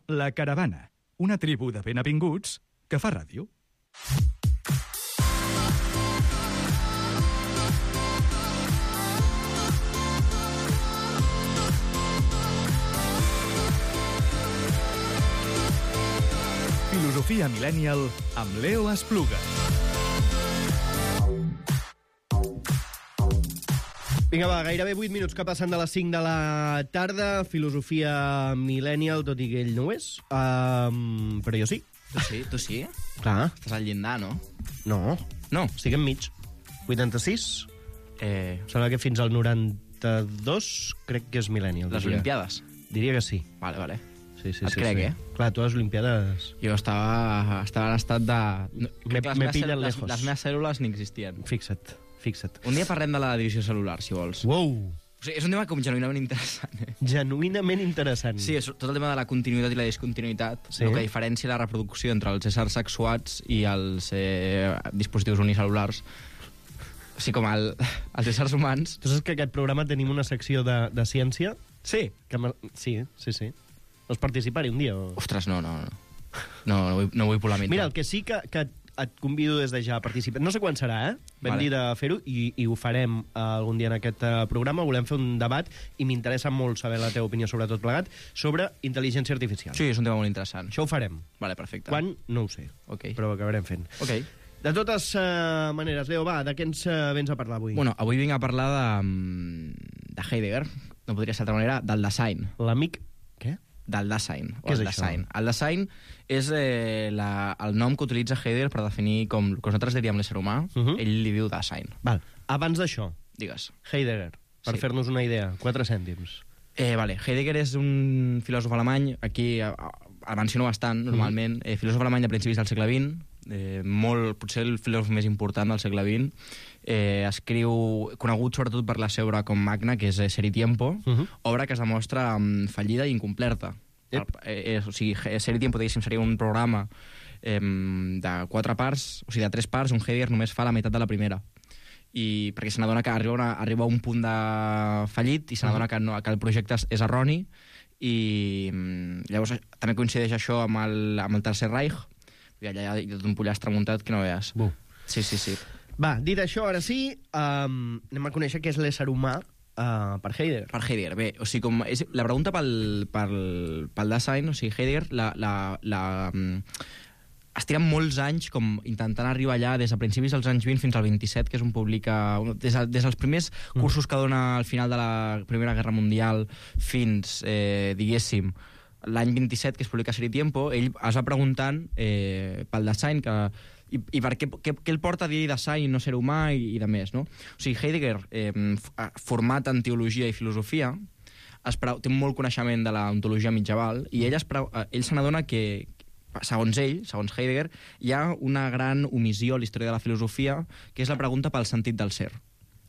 La Caravana, una tribu de benvinguts que fa ràdio. Filosofia Millennial amb Leo Espluga. Vinga, va, gairebé 8 minuts que passen de les 5 de la tarda. Filosofia Millennial, tot i que ell no ho és. Però jo sí. Tu sí? Clar. Estàs al llindar, no? No. No. Estic enmig. 86. Sembla que fins al 92 crec que és Millennial. Les Olimpiades? Diria que sí. Vale. Sí, Et crec, eh? Clar, tu a les Olimpiades... Jo estava en estat de... Me pillen lejos. Les meves cèl·lules ni existien. Fixa't. Un dia parlem de la divisió cel·lular, si vols. Wow! O sigui, és un tema com genuïnament interessant. Genuïnament interessant. Sí, és tot el tema de la continuïtat i la discontinuïtat, sí. El que diferencia la reproducció entre els éssers sexuats i els dispositius unicel·lulars. O sigui, com els éssers humans... Tu saps que aquest programa tenim una secció de ciència? Sí. Sí. Vols participar-hi un dia? O... Ostres, no. No vull polemitzar. Mira, el que sí que et convido des de ja a participar. No sé quan serà, Vam dir de fer-ho i ho farem algun dia en aquest programa. Volem fer un debat i m'interessa molt saber la teva opinió sobre tot plegat, sobre intel·ligència artificial. Sí, és un tema molt interessant. Això ho farem. Vale, perfecte. Quan? No ho sé. Okay. Però ho acabarem fent. Okay. De totes maneres, Leo, va, de què ens vens a parlar avui? Bueno, avui vinc a parlar de Heidegger, no podria ser d'altra manera, del Dasein. L'amic... Què? Del Dasein. Què és això? El Dasein és el nom que utilitza Heidegger per definir com el que nosaltres diríem l'ésser humà. Ell li diu Dasein. Val. Abans d'això, digues. Heidegger, per fer-nos una idea, 4 cèntims. Heidegger és un filòsof alemany, aquí el menciono bastant, normalment, filòsof alemany de principis del segle XX, potser el filòsof més important del segle XX, escriu, conegut sobretot per la seva obra com magna, que és Ser i Tiempo, obra que es demostra fallida i incomplerta. O sigui, Ser i Tiempo, diguéssim, seria un programa de 4 parts, o sigui, de 3 parts, on Heidegger només fa la meitat de la primera. I perquè se n'adona que arriba a un punt de fallit i se n'adona que el projecte és erroni, i llavors també coincideix això amb el Tercer Reich. Allà hi ha tot un pollastre muntat que no veies. Sí. Va, dit això, ara sí, anem a conèixer què és l'ésser humà per Heidegger. Per Heidegger, bé, o sigui, la pregunta pel Dasein, o sigui, Heidegger es tira molts anys com intentant arribar allà des de principis dels anys 20 fins al 27, que és on publica... Des dels primers cursos que dona al final de la Primera Guerra Mundial fins, diguéssim, l'any 27, que es publica Ser i Tiempo, ell es va preguntant pel Dasein i per què el porta a dir Dasein i no ser humà i de més, no? O sigui, Heidegger, format en teologia i filosofia, té molt coneixement de la ontologia mitjaval i ell se n'adona que segons Heidegger, hi ha una gran omissió a la història de la filosofia, que és la pregunta pel sentit del ser.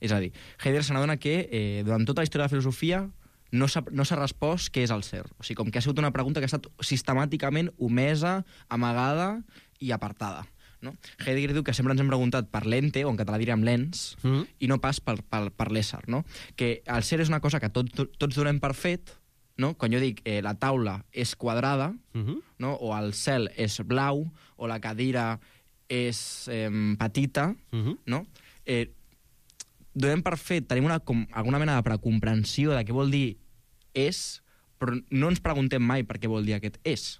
És a dir, Heidegger se n'adona que durant tota la història de la filosofia no s'ha respost què és el ser. O sigui, com que ha sigut una pregunta que ha estat sistemàticament omesa, amagada i apartada. No? Heidegger diu que sempre ens hem preguntat per l'ente, o en català diríem l'ens, i no pas per l'ésser. No? Que el ser és una cosa que tots donem per fet, no? Quan jo dic la taula és quadrada, no? O el cel és blau, o la cadira és petita, no? Donem per fet, tenim alguna mena de precomprensió de què vol dir és, però no ens preguntem mai per què vol dir aquest és.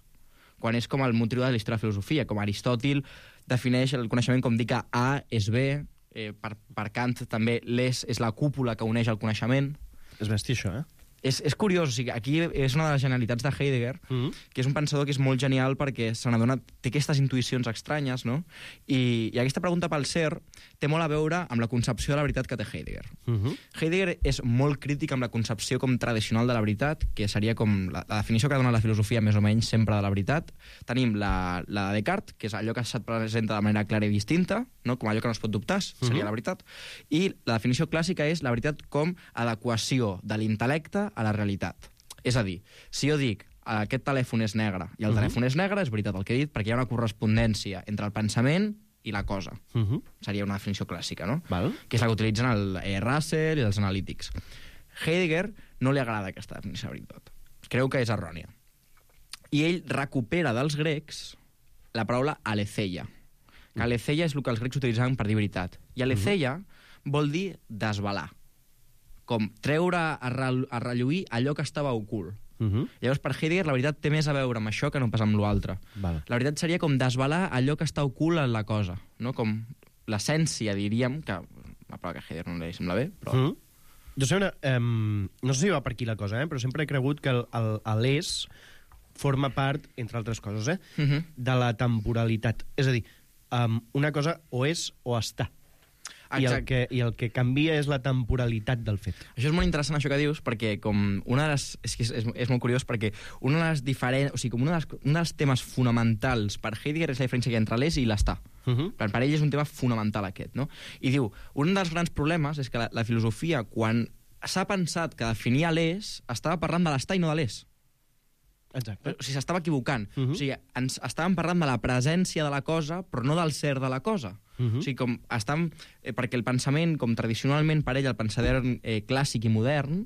Quan és com el motiu de la història de la filosofia, com Aristòtil defineix el coneixement com dir que A és B, per Kant també l'és és la cúpula que uneix el coneixement. És bèstia, això, És curiós, o sigui, aquí és una de les genialitats de Heidegger, que és un pensador que és molt genial perquè se n'adona, té aquestes intuïcions estranyes, no? I aquesta pregunta pel ser té molt a veure amb la concepció de la veritat que té Heidegger. Heidegger és molt crític amb la concepció com tradicional de la veritat, que seria com la definició que dona la filosofia més o menys sempre de la veritat. Tenim la de Descartes, que és allò que se't presenta de manera clara i distinta, no? Com allò que no es pot dubtar, seria la veritat. I la definició clàssica és la veritat com adequació de l'intel·lecte a la realitat. És a dir, si jo dic aquest telèfon és negre i el telèfon és negre, és veritat el que he dit, perquè hi ha una correspondència entre el pensament i la cosa. Seria una definició clàssica, no? Que és la que utilitzen el Russell i els analítics. Heidegger no li agrada aquesta definició de veritat. Creu que és errònia. I ell recupera dels grecs la paraula aletheia. Que aletheia és el que els grecs utilitzaven per dir veritat. I aletheia vol dir desvelar. Com treure a relluir allò que estava ocult. Llavors, per Heidegger, la veritat té més a veure amb això que no pas amb l'altre. Vale. La veritat seria com desvelar allò que està ocult en la cosa, no? Com l'essència, diríem, que una paraula que a Heidegger no li sembla bé, però... Jo sempre, no sé si va per aquí la cosa, però sempre he cregut que l'és forma part, entre altres coses, de la temporalitat. És a dir, una cosa o és o està. I el que canvia és la temporalitat del fet. Això és molt interessant, això que dius, perquè com una de les... És molt curiós, perquè una de les diferents... O sigui, com un dels temes fonamentals per Heidegger és la diferència que hi ha entre l'és i l'estar. Per ell és un tema fonamental aquest, no? I diu, un dels grans problemes és que la filosofia, quan s'ha pensat que definia l'és, estava parlant de l'estar i no de l'és. Exacte. O sigui, s'estava equivocant. O sigui, estàvem parlant de la presència de la cosa, però no del ser de la cosa. O sigui, com perquè el pensament, com tradicionalment per ell, el pensador clàssic i modern,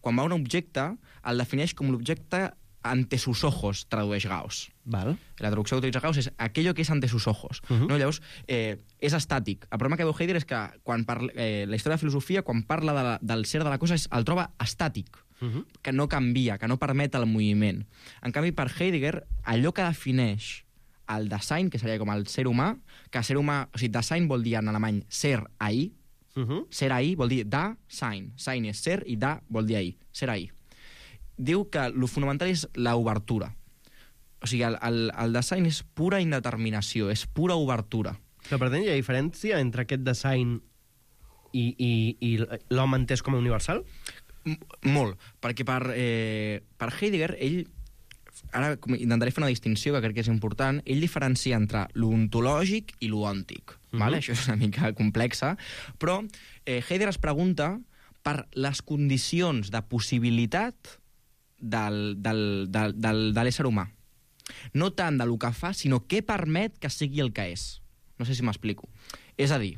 quan va a un objecte, el defineix com l'objecte ante sus ojos, tradueix Gauss. Val. La traducció que utilitza Gauss és aquello que és ante sus ojos. No? Llavors, és estàtic. El problema que veu Heidegger és que la història de filosofia, quan parla del ser de la cosa, el troba estàtic, que no canvia, que no permet el moviment. En canvi, per Heidegger, allò que defineix el Dasein, que seria com el ser humà, que ser humà... O sigui, Dasein vol dir en alemany ser ahí, ser ahí vol dir da-sein. Sein és ser i da vol dir ahí, ser ahí. Diu que el fonamental és l'obertura. O sigui, el Dasein és pura indeterminació, és pura obertura. Però per tant, hi ha diferència entre aquest Dasein i l'home entès com a universal? Molt, perquè per Heidegger, ell... Ara intentaré fer una distinció que crec que és important. Ell diferencia entre l'ontològic i l'oòntic. Vale? Això és una mica complexa, però Heidegger es pregunta per les condicions de possibilitat de l'ésser humà. No tant de lo que fa, sinó què permet que sigui el que és. No sé si m'explico. És a dir,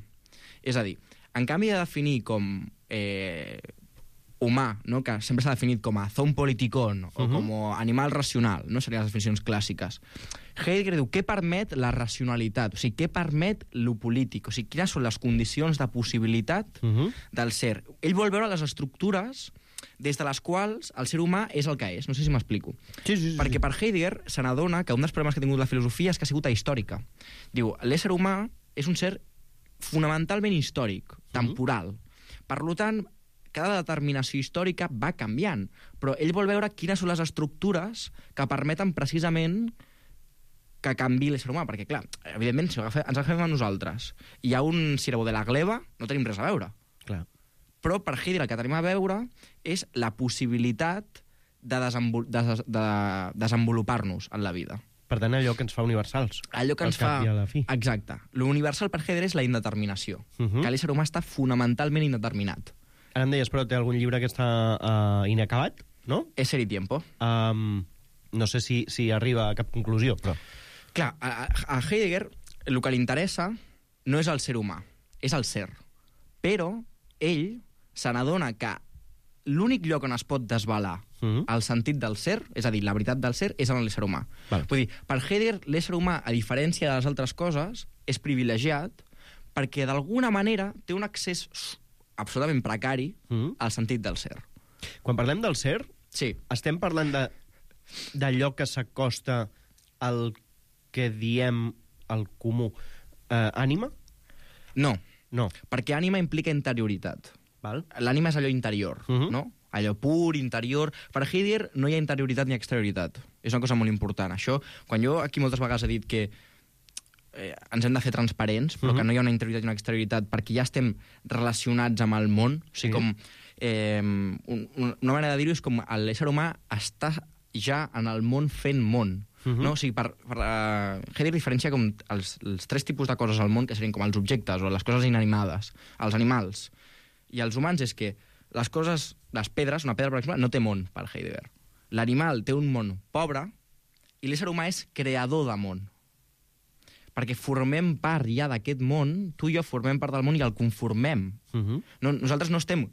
en canvi de definir com humà, no? Que sempre s'ha definit com a zoopoliticon o com a animal racional, no serien les definicions clàssiques. Heidegger diu què permet la racionalitat, o sigui, què permet lo polític, o sigui, quines són les condicions de possibilitat del ser. Ell vol veure les estructures des de les quals el ser humà és el que és. No sé si m'explico. Sí. Perquè per Heidegger se n'adona que un dels problemes que ha tingut la filosofia és que ha sigut ahistòrica. Diu, l'ésser humà és un ser fonamentalment històric, temporal. Per tant, cada determinació històrica va canviant, però ell vol veure quines són les estructures que permeten precisament que canvi l'ésser humà, perquè, clar, evidentment, si ens agafem a nosaltres i hi ha un Cirabo de la gleba, no tenim res a veure. Clar. Però per Heidegger el que tenim a veure és la possibilitat de desenvolupar-nos en la vida. Per tant, allò que ens fa universals. Allò que ens fa... Exacte. L'universal per Heidegger és la indeterminació, que l'ésser humà està fonamentalment indeterminat. Ara em deies, però té algun llibre que està inacabat, no? Ésser i tiempo. No sé si arriba a cap conclusió, però... Clar, a Heidegger el que li interessa no és el ser humà, és el ser. Però ell se n'adona que l'únic lloc on es pot desvelar el sentit del ser, és a dir, la veritat del ser, és en l'ésser humà. Vull dir, per Heidegger, l'ésser humà, a diferència de les altres coses, és privilegiat perquè d'alguna manera té un accés absolutament precari al sentit del ser. Quan parlem del ser, sí, estem parlant d'allò que s'acosta al que diem el comú ànima? No, No. perquè ànima implica interioritat. Val? L'ànima és allò interior, no? Allò pur, interior... Per Heidegger no hi ha interioritat ni exterioritat. És una cosa molt important. Això, quan jo aquí moltes vegades he dit que ens hem de fer transparents, però que no hi ha una interioritat i una exterioritat, perquè ja estem relacionats amb el món. O sigui, com... una manera de dir-ho és com l'ésser humà està ja en el món fent món. No? O sigui, per Heidegger diferencia com els tres tipus de coses al món, que serien com els objectes o les coses inanimades, els animals i els humans, és que les coses, les pedres, una pedra, per exemple, no té món, per Heidegger. L'animal té un món pobre i l'ésser humà és creador de món. Perquè formem part ja d'aquest món, tu i jo formem part del món i el conformem. Nosaltres no estem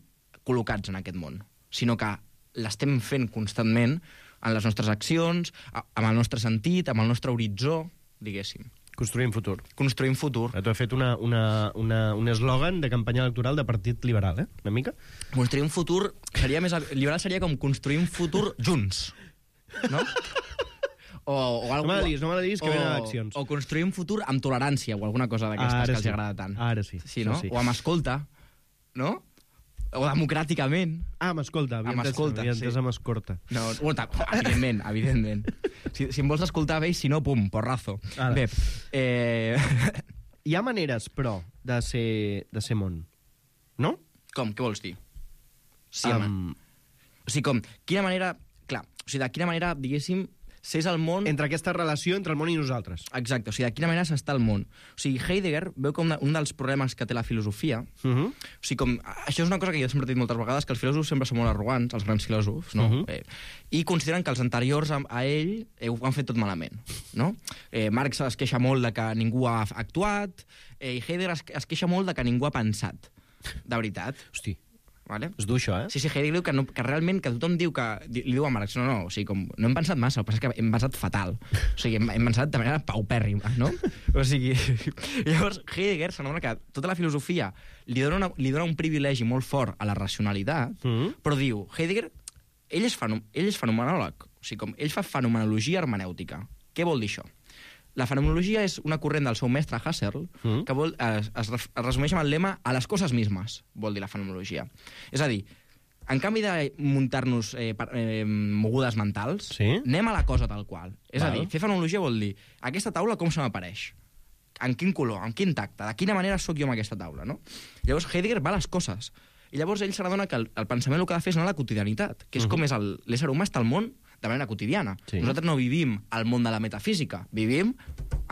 col·locats en aquest món, sinó que l'estem fent constantment en les nostres accions, amb el nostre sentit, amb el nostre horitzó, diguéssim. Construïm futur. Construïm futur. Tu has fet un eslògan de campanya electoral de Partit Liberal, una mica? Construir un futur seria més... Liberal seria com construir un futur junts, no? O no me la diguis, que venen eleccions. O construir un futur amb tolerància o alguna cosa d'aquestes que els agrada tant. Ara sí. Sí, no? Sí. O amb escolta, no? O democràticament. Amb escolta. Havia entès amb escorta. No, evidentment. Si em vols escoltar, veig, si no, pum, porrazo. Ara. Bé, hi ha maneres, però, de ser món, no? Com? Què vols dir? Sí, home. O sigui, com, quina manera... Clar, o sigui, de quina manera, diguéssim, s'és el món... Entre aquesta relació entre el món i nosaltres. Exacte, o sigui, de quina manera s'està el món. O sigui, Heidegger veu que un dels problemes que té la filosofia... O sigui, com... Això és una cosa que jo sempre he dit moltes vegades, que els filòsofs sempre són molt arrogants, els grans filòsofs, no? I consideren que els anteriors a ell ho han fet tot malament, no? Marx es queixa molt de que ningú ha actuat, i Heidegger es queixa molt de que ningú ha pensat. De veritat. Hosti. Vale? És dur, això, Sí, Heidegger diu que realment, que tothom diu que... Li diu a Marx, no, o sigui, com, no hem pensat massa, el que passa és que hem pensat fatal. O sigui, hem pensat de manera paupèrrima, no? O sigui... Llavors, Heidegger s'adona que tota la filosofia li dona un privilegi molt fort a la racionalitat, però diu, Heidegger, ell és fenomenòleg, o sigui, com, ell fa fenomenologia hermenèutica. Què vol dir això? La fenomenologia és una corrent del seu mestre Husserl que es resumeix amb el lema a les coses mismes, vol dir la fenomenologia. És a dir, en canvi de muntar-nos mogudes mentals, anem a la cosa tal qual. És a dir, fer fenomenologia vol dir aquesta taula com se m'apareix? En quin color? En quin tacte? De quina manera sóc jo amb aquesta taula? No? Llavors Heidegger va a les coses. I llavors ell s'adona que el pensament el que ha de fer és anar a la quotidianitat, que és com és l'ésser humà està al món de manera quotidiana. Nosaltres no vivim al món de la metafísica, vivim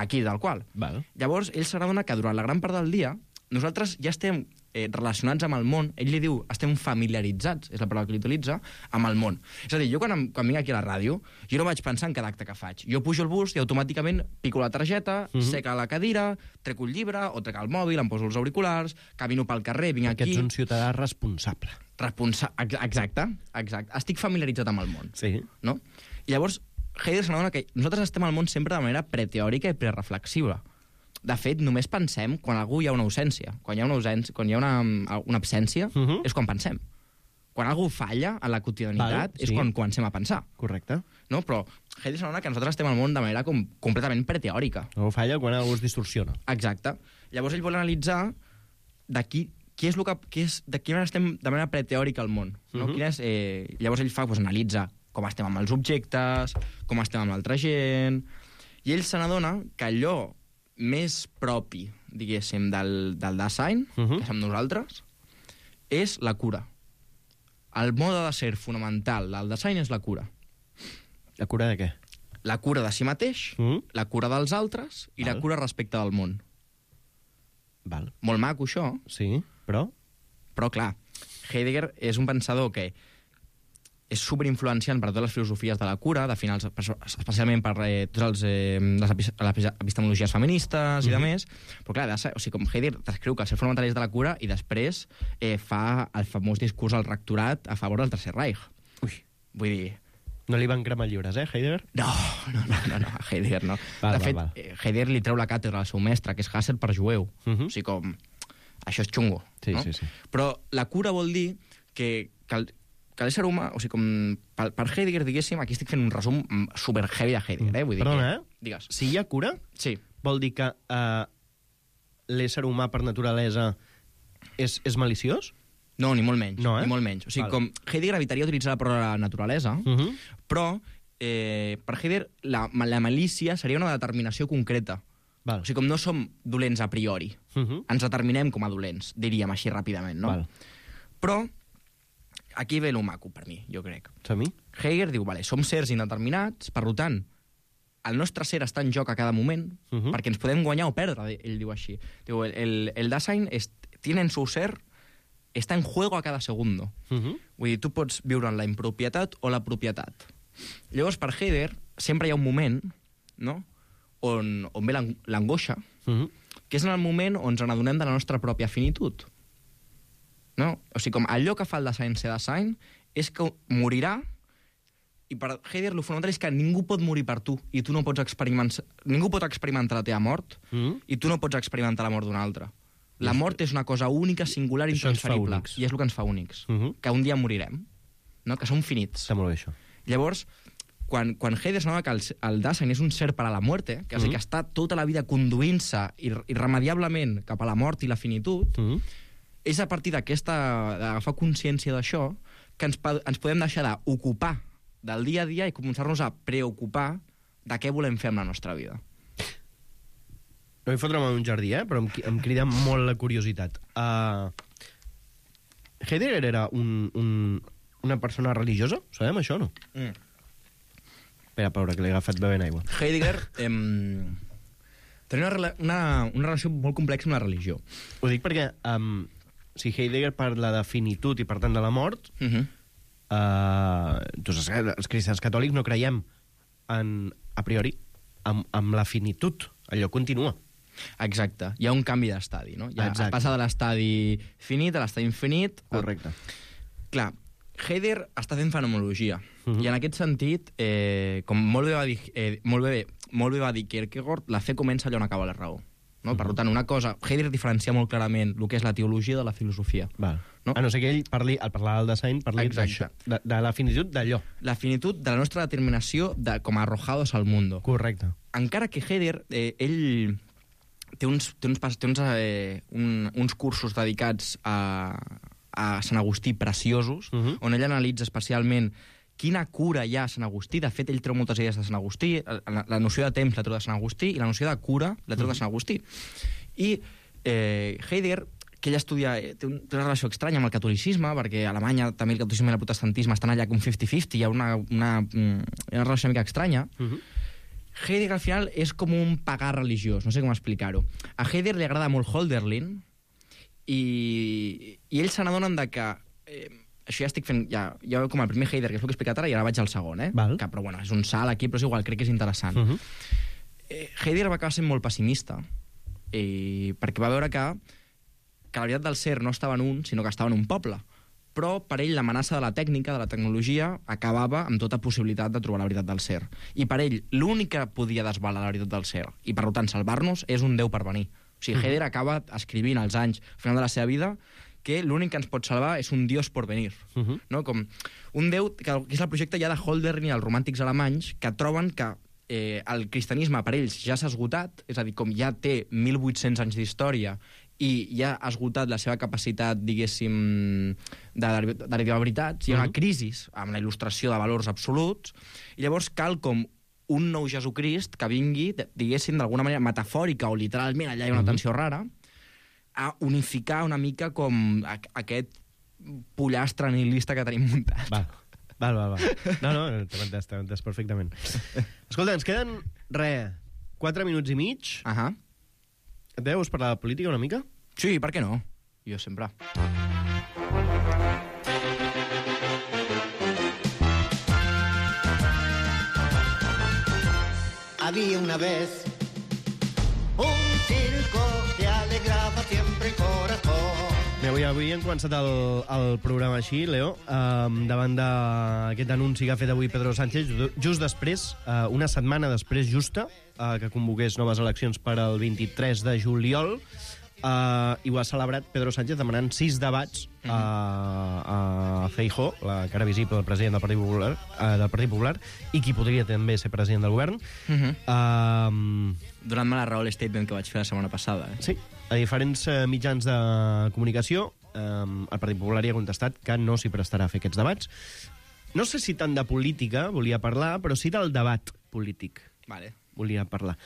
aquí, tal qual. Llavors, ell s'adona que durant la gran part del dia nosaltres ja estem relacionats amb el món, ell li diu, estem familiaritzats, és la paraula que l'utilitza, amb el món. És a dir, jo quan vinc aquí a la ràdio, jo no vaig pensar en cada acte que faig. Jo pujo el bus i automàticament pico la targeta, seca la cadira, trec un llibre, o trec el mòbil, em poso els auriculars, camino pel carrer, vinc aquí... Que ets un ciutadà responsable. Exacte. Estic familiaritzat amb el món. Sí. No? I llavors, Heidegger s'adona que nosaltres estem al món sempre de manera preteòrica i prereflexiva. De fet, només pensem quan algú hi ha una ausència. Quan hi ha una absència, és quan pensem. Quan algú falla en la quotidianitat és quan comencem a pensar. Correcte. No? Però Heidegger s'adona que nosaltres estem al món de manera completament preteòrica. Algú falla quan algú es distorsiona. Exacte. Llavors ell vol analitzar de quina manera estem de manera preteòrica al món. No? Llavors ell analitza com estem amb els objectes, com estem amb l'altra gent, i ell se n'adona que allò més propi, diguéssim, del Dasein, que som nosaltres, és la cura. El mode de ser fonamental del Dasein és la cura. La cura de què? La cura de si mateix, la cura dels altres i la cura respecte del món. Molt maco, això. Sí, però... Però, clar, Heidegger és un pensador que és superinfluenciant per totes les filosofies de la cura, de finals, especialment per totes les epistemologies feministes i de més, però clar, o sigui, com Heidegger descriu que el ser fonamental és de la cura i després fa el famós discurs al rectorat a favor del Tercer Reich. Vull dir... No li van cremar llibres, Heidegger? No, Heidegger no. De fet, Heidegger li treu la càtedra al seu mestre, que és Husserl, per jueu. O sigui, com... Això és xungo. Sí. Però la cura vol dir que l'ésser humà, o sigui, com per Heidegger, diguéssim, aquí estic fent un resum super heavy de Heidegger, vull dir. Perdona, Digues. Si hi ha cura, vol dir que l'ésser humà per naturalesa és maliciós? No, ni molt menys. Ni molt menys. O sigui, com Heidegger evitaria utilitzar la paraula naturalesa, però per Heidegger la malícia seria una determinació concreta. O sigui, com no som dolents a priori. Ens determinem com a dolents, diríem així ràpidament, no? Però aquí ve lo maco, per mi, jo crec. Heidegger diu, som sers indeterminats, per tant, el nostre ser està en joc a cada moment, perquè ens podem guanyar o perdre, ell diu així. Diu, el Dasein tiene en su ser, està en juego a cada segundo. Vull dir, tu pots viure en la impropietat o la propietat. Llavors, per Heidegger, sempre hi ha un moment, no?, on ve l'angoixa, que és en el moment on ens n'adonem de la nostra pròpia finitud. No? O sigui, com allò que fa el Dasein ser Dasein és que morirà I per Heidegger el fonamental és que ningú pot morir per tu i tu no pots ningú pot experimentar la teva mort i tu no pots experimentar la mort d'un altre. La mort és una cosa única, singular, intransferible. I és el que ens fa únics. Que un dia morirem, no? Que som finits. Està molt bé, això. Llavors, quan Heidegger s'anava que el Dasein és un ser per a la muerte, que és a dir, que està tota la vida conduint-se irremediablement cap a la mort i la finitud, és a partir d'agafar consciència d'això que ens podem deixar d'ocupar del dia a dia i començar-nos a preocupar de què volem fer amb la nostra vida. No vull fotre'm en un jardí, però em crida molt la curiositat. Heidegger era una persona religiosa? Sabem això, no? Espera, Paula, que l'he agafat bevent aigua. Heidegger tenia una relació molt complexa amb la religió. Ho dic perquè si Heidegger parla de finitud i, per tant, de la mort, doncs els cristians catòlics no creiem a priori amb la finitud. Allò continua. Exacte. Hi ha un canvi d'estadi, no? Es passa de l'estadi finit a l'estadi infinit. Correcte. Clar, Heidegger està fent fenomenologia. I en aquest sentit, com molt bé va dir Kierkegaard, la fe comença allà on acaba la raó. No? Per tant, una cosa... Heidegger diferencia molt clarament el que és la teologia de la filosofia. Val. No? A no ser que ell al parlar del Dasein parli d'això, de la finitud d'allò. La finitud de la nostra determinació com a arrojados al mundo. Correcte. Encara que Heidegger, ell té uns cursos dedicats a Sant Agustí preciosos, on ell analitza especialment quina cura hi ha a Sant Agustí. De fet, ell treu moltes idees de Sant Agustí. La noció de temps la treu de Sant Agustí i la noció de cura la treu de Sant Agustí. I Heidegger, que ell estudia, té una relació estranya amb el catolicisme, perquè a Alemanya també el catolicisme i el protestantisme estan allà com 50-50, hi ha una relació una mica estranya. Heidegger al final és com un pagà religiós, no sé com explicar-ho. A Heidegger li agrada molt Hölderlin i ells se n'adonen de que... això ja estic fent, ja com el primer Heidegger, que és el que he explicat ara, i ara vaig al segon, que, però bueno, és un salt aquí, però és igual, crec que és interessant. Heidegger va acabar sent molt pessimista, perquè va veure que la veritat del ser no estava en un, sinó que estava en un poble. Però per ell l'amenaça de la tècnica, de la tecnologia, acabava amb tota possibilitat de trobar la veritat del ser. I per ell l'únic que podia desvelar la veritat del ser, i per tant salvar-nos, és un Déu per venir. O sigui, Heidegger acaba escrivint als anys, al final de la seva vida, que l'únic que ens pot salvar és un Dios por venir. No? Com un Déu, que és el projecte ja de Hölderlin i els romàntics alemanys, que troben que el cristianisme per ells ja s'ha esgotat, és a dir, com ja té 1.800 anys d'història i ja ha esgotat la seva capacitat, diguéssim, d'arribar a veritats, hi ha una crisi amb la il·lustració de valors absoluts, i llavors cal com un nou Jesucrist que vingui, diguéssim, d'alguna manera metafòrica o literalment, allà hi ha una tensió rara, a unificar una mica com aquest pollastre nihilista que tenim muntat. Val. No, t'hem entès perfectament. Escolta, ens queden, 4 minuts i mig. Et veus parlar de política una mica? Sí, per què no? Jo sempre. Había una vez un circo que alegraba siempre el corazón. Avui hem començat el programa així, Leo, davant d'aquest anunci que ha fet avui Pedro Sánchez, just després, una setmana després justa, que convoqués noves eleccions per al 23 de juliol, i ho ha celebrat Pedro Sánchez demanant 6 debats a Feijóo, la cara visible del president del Partit Popular, i qui podria també ser president del govern. Donant-me la raó l'statement que vaig fer la setmana passada. Sí, a diferents mitjans de comunicació, el Partit Popular hi ha contestat que no s'hi prestarà a fer aquests debats. No sé si tant de política volia parlar, però sí del debat polític. Volia parlar.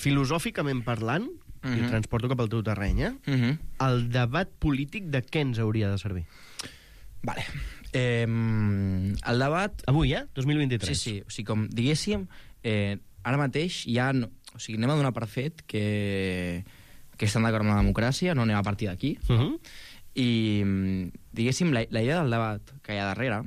Filosòficament parlant, i ho transporto cap al teu terreny, el debat polític de què ens hauria de servir? El debat... Avui, 2023. Sí. O sigui, com diguéssim, ara mateix ja... O sigui, anem a donar per fet que estan d'acord amb la democràcia, no anem a partir d'aquí. I, diguéssim, la idea del debat que hi ha darrere...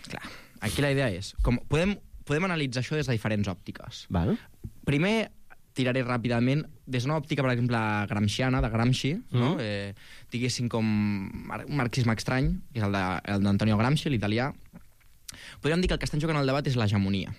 Clar, aquí la idea és... Podem analitzar això des de diferents òptiques. Val. Primer, tiraré ràpidament des d'una òptica, per exemple, gramsciana, de Gramsci, no? Diguéssim com un marxisme estrany, que és el d'Antonio Gramsci, l'italià, podríem dir que el que està en joc en el debat és l'hegemonia.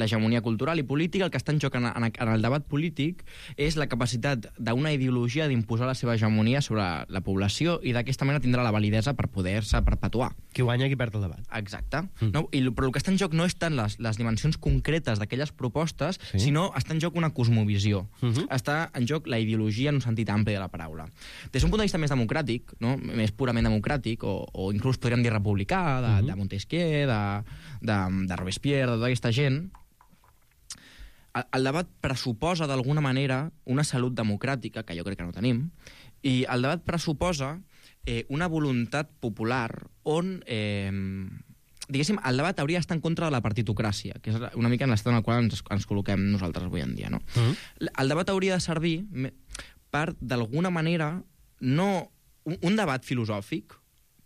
L'hegemonia cultural i política. El que està en joc en el debat polític és la capacitat d'una ideologia d'imposar la seva hegemonia sobre la població i d'aquesta manera tindrà la validesa per poder-se perpetuar. Qui guanya, qui perd el debat. Exacte. No? Però el que està en joc no és tant les dimensions concretes d'aquelles propostes, sinó està en joc una cosmovisió. Està en joc la ideologia en un sentit ampli de la paraula. Des d'un punt de vista més democràtic, no? Més purament democràtic, o inclús podríem dir republicà, de Montesquieu, de Robespierre, de tota aquesta gent, el debat pressuposa d'alguna manera una salut democràtica, que jo crec que no tenim, i el debat pressuposa una voluntat popular on, diguéssim, el debat hauria d'estar en contra de la partitocràcia, que és una mica en l'estat en el qual ens col·loquem nosaltres avui en dia. No? El debat hauria de servir per, d'alguna manera, no un debat filosòfic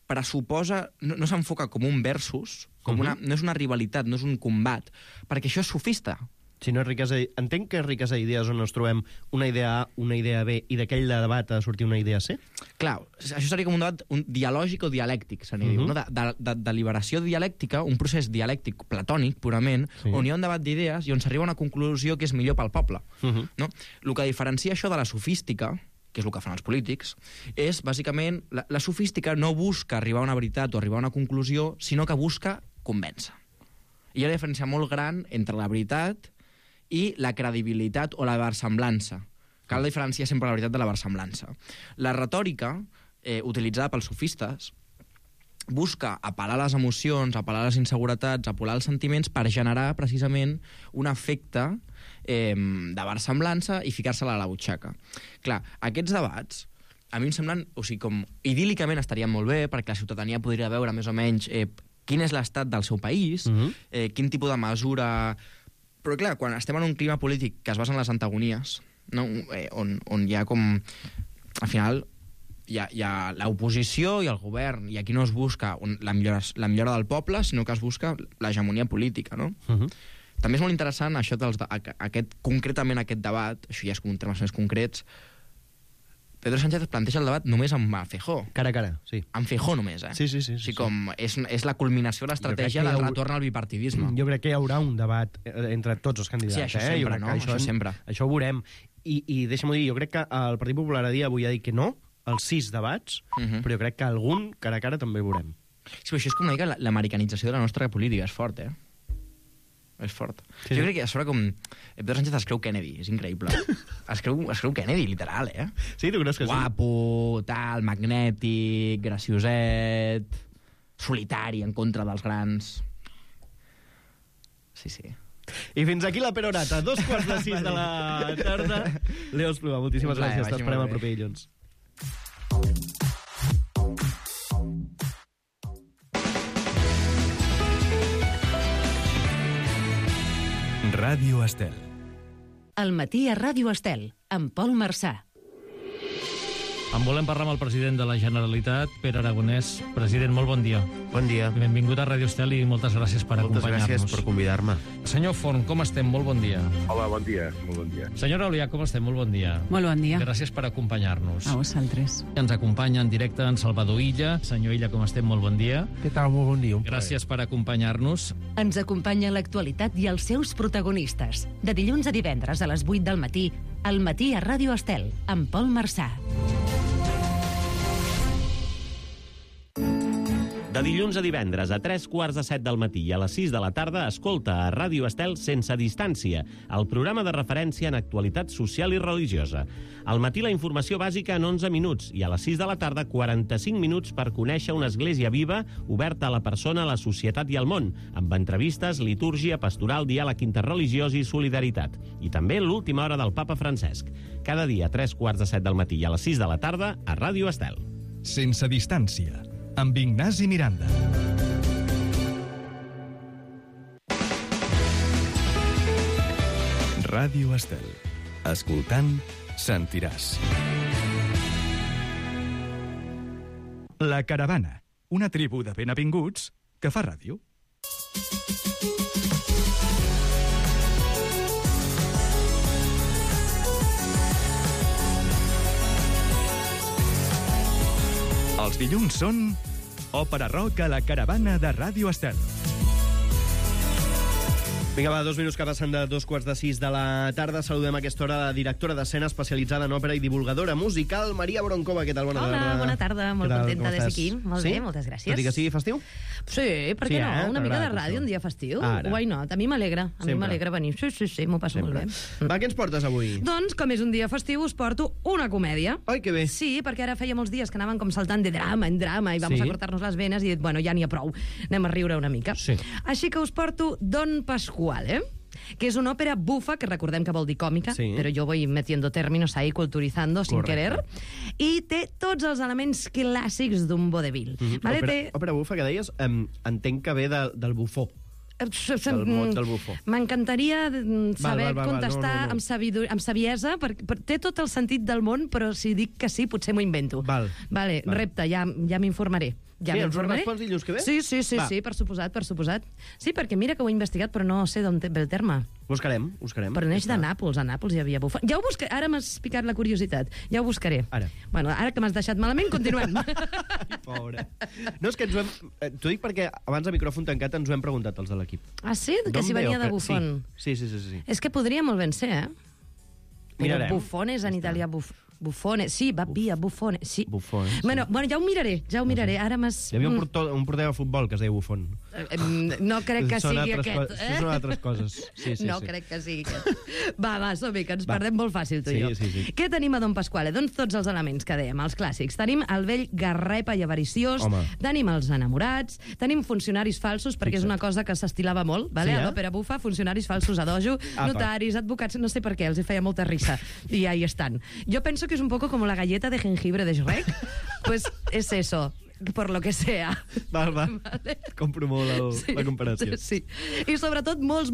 pressuposa, no s'enfoca com un versus, no és una rivalitat, no és un combat, perquè això és sofista. Si no és riquesa, entenc que és riquesa d'idees on ens trobem una idea A, una idea B, i d'aquell debat ha de sortir una idea C? Clar, això seria com un debat dialògic o dialèctic, se n'hi diu, no? De deliberació dialèctica, un procés dialèctic platònic, purament, on hi ha un debat d'idees i on s'arriba a una conclusió que és millor pel poble. No? El que diferencia això de la sofística, que és el que fan els polítics, és, bàsicament, la sofística no busca arribar a una veritat o arribar a una conclusió, sinó que busca convèncer. I hi ha una diferència molt gran entre la veritat i la credibilitat o la versemblança. Cal diferenciar sempre la veritat de la versemblança. La retòrica, utilitzada pels sofistes, busca apel·lar a les emocions, apel·lar a les inseguretats, apel·lar als sentiments per generar, precisament, un efecte de versemblança i ficar-se-la a la butxaca. Clar, aquests debats, a mi em semblen, o sigui, com idíl·licament estarien molt bé, perquè la ciutadania podria veure més o menys quin és l'estat del seu país, quin tipus de mesura... Però clar, quan estem en un clima polític que es basa en les antagonies, no? On hi ha com... Al final hi ha l'oposició i el govern, i aquí no es busca la millora del poble, sinó que es busca l'hegemonia política, no? També és molt interessant això concretament aquest debat, això ja és com un termes més concrets. Pedro Sánchez planteja el debat només amb Feijóo. Cara a cara, sí. Amb Feijóo només, eh? Sí. Com és la culminació de l'estratègia del retorn al bipartidisme. Jo crec que hi haurà un debat entre tots els candidats. Sí, això sempre, no? Això sempre. Això ho veurem. I deixa'm-ho dir, jo crec que el Partit Popular a dia avui ha dit que no, als 6 debats, però jo crec que algun cara a cara també veurem. Sí, però això és com una mica l'americanització de la nostra política, és fort, És fort. Sí. Jo crec que a sobre com... Pedro Sánchez es creu Kennedy, és increïble. Es creu Kennedy, literal, Sí, tu creus que Guapo, tal, magnètic, gracioset, solitari, en contra dels grans... Sí. I fins aquí la perorata, 5:45 de la tarda. Leo Espluga, moltíssimes gràcies. T'esperem el proper dilluns. Ràdio Estel. Al matí a Ràdio Estel, amb Pol Marçà. En volem parlar amb el president de la Generalitat, Pere Aragonès. President, molt bon dia. Bon dia. Benvingut a Ràdio Estel i moltes gràcies per acompanyar-nos. Moltes gràcies per convidar-me. Senyor Forn, com estem? Molt bon dia. Hola, bon dia. Molt bon dia. Senyora Olià, com estem? Molt bon dia. Molt bon dia. Gràcies per acompanyar-nos. A vosaltres. Ens acompanya en directe en Salvador Illa. Senyor Illa, com estem? Molt bon dia. Què tal? Molt bon dia. Gràcies per acompanyar-nos. Ens acompanya l'actualitat i els seus protagonistes. De dilluns a divendres a les 8 del matí, al matí a Ràdio Estel, amb Pol Marçà. De dilluns a divendres a 3:15 del matí i a les 6 de la tarda escolta a Ràdio Estel Sense Distància, el programa de referència en actualitat social i religiosa. Al matí la informació bàsica en 11 minuts i a les 6 de la tarda 45 minuts per conèixer una església viva oberta a la persona, a la societat i al món, amb entrevistes, litúrgia, pastoral, diàleg interreligiós i solidaritat. I també l'última hora del papa Francesc. Cada dia a 3:15 del matí i a les 6 de la tarda a Ràdio Estel. Sense Distància, amb Ignasi Miranda. Ràdio Estel. Escoltant, sentiràs. La Caravana, una tribu de benavinguts que fa ràdio. Els dilluns són Òpera Rock a la caravana de Ràdio Estel. Vinga, va, 2 minuts que passen de 2:45 de la tarda. Saludem a aquesta hora la directora d'escena especialitzada en òpera i divulgadora musical, Maria Broncova. Què tal? Bona tarda. Hola, bona tarda. Molt contenta d'estar aquí. Molt bé, moltes gràcies. Tot i que sigui festiu? Sí, per què no? Una mica de ràdio un dia festiu. Why not? A mi m'alegra. A mi m'alegra venir. Sí, m'ho passo molt bé. Va, què ens portes avui? Doncs, com és un dia festiu, us porto una comèdia. Ai, que bé. Sí, perquè ara feia molts dies que anaven com saltant de drama en drama i vamos a cortar-nos les venes i bueno, ja n'hi ha prou. Anem a riure una mica. Sí. Així que us porto Don Pasquale, que és una òpera bufa, que recordem que vol dir còmica, però jo voy metiendo términos ahí, culturizando, sin querer, i té tots els elements clàssics d'un vodevil. Òpera bufa, que deies, entenc que ve del bufó. Del mot del bufó. M'encantaria saber contestar amb saviesa, perquè té tot el sentit del món, però si dic que sí, potser m'ho invento. Vale, repte, ja m'informaré. Sí, ens ho respons dilluns que ve? Sí, per suposat. Sí, perquè mira que ho he investigat, però no sé d'on ve el terme. Buscarem. Però neix de Nàpols, a Nàpols hi havia bufó. Ja ho buscaré, ara m'has picat la curiositat. Ja ho buscaré. Bueno, ara que m'has deixat malament, continuem. Ai, pobre. No, és que ens ho hem... T'ho dic perquè abans de micròfon tancat ens ho hem preguntat els de l'equip. Ah, sí? Que si venia de bufón. Sí. És que podria molt ben ser, eh? Mirarem. Bufones en italià, Bufone, sí, va via, Bufone, sí. Bufone, sí. Bueno, ja ho miraré, ara m'has... Hi havia un porter de futbol que es deia Bufon. No crec que sigui aquest. Són altres coses. Sí. No crec que sigui aquest. Va, som-hi, que ens perdem molt fàcil, tu i jo. Sí. Què tenim a Don Pasquale? Doncs tots els elements que dèiem, els clàssics. Tenim el vell garrepa i avariciós, tenim els enamorats, tenim funcionaris falsos, perquè és una cosa que s'estilava molt, a l'òpera bufa, funcionaris falsos a dojo, notaris, advocats, no sé per què, els hi feia molta risa. I ahí estan. Jo penso que es un poco como la galleta de jengibre de Shrek. Pues es eso, por lo que sea. Vale. Compro molt la comparació. Sí. I sobretot molts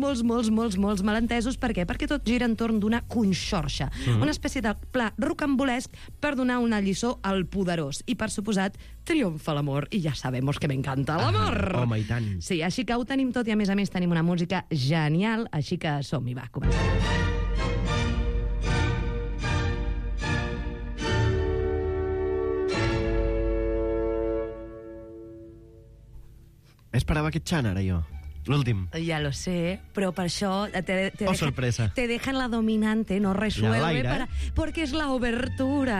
malentesos. Per què? Perquè tot gira entorn d'una conxorxa. Una espècie de pla rocambolesc per donar una lliçó al poderós. I per suposat, triomfa l'amor. I ja sabemos que m'encanta l'amor. Home, i tant. Sí, així que ho tenim tot i a més tenim una música genial. Així que som-hi, va, comencem. Esperava aquest xant, ara, jo. L'últim. Ja lo sé, però per això sorpresa. Te dejan la dominante, no resuelve, perquè és la obertura.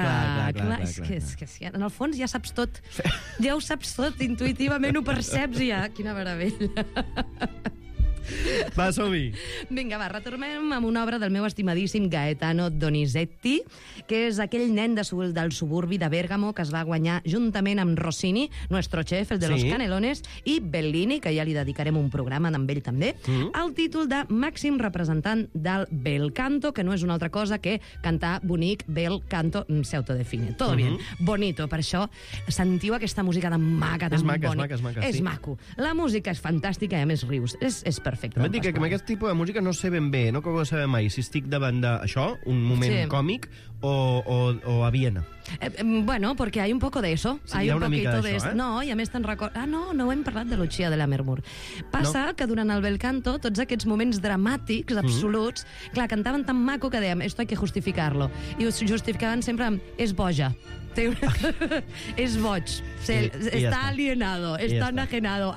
Clar. És que en el fons ja saps tot. Ja ho saps tot, intuïtivament ho perceps ja. Quina meravella. Va, som-hi. Vinga, va, retornem amb una obra del meu estimadíssim Gaetano Donizetti, que és aquell nen del suburbi de Bèrgamo que es va guanyar juntament amb Rossini, nuestro chef, el de los Canelones, i Bellini, que ja li dedicarem un programa amb ell també, el títol de màxim representant del bel canto, que no és una altra cosa que cantar bonic, bel canto, se autodefine. Todo bien, bonito, per això sentiu aquesta música tan maca, tan bonica. És maco. La música és fantàstica i a més rius. És perfecte. També et dic que amb aquest tipus de música no sé ben bé, no acabo de saber mai si estic davant d'això, un moment còmic, o a Viena. Bueno, porque hay un poco de eso. Sí, hay un poquito de eso. No, i a més te'n recordo... no hem parlat de Lucia de Lammermoor. Passa que durant el bel canto, tots aquests moments dramàtics, absoluts, clar, cantaven tan maco que dèiem, esto hay que justificarlo. I ho justificaven sempre amb, és boja. És boig. Está alienado, está enajenado.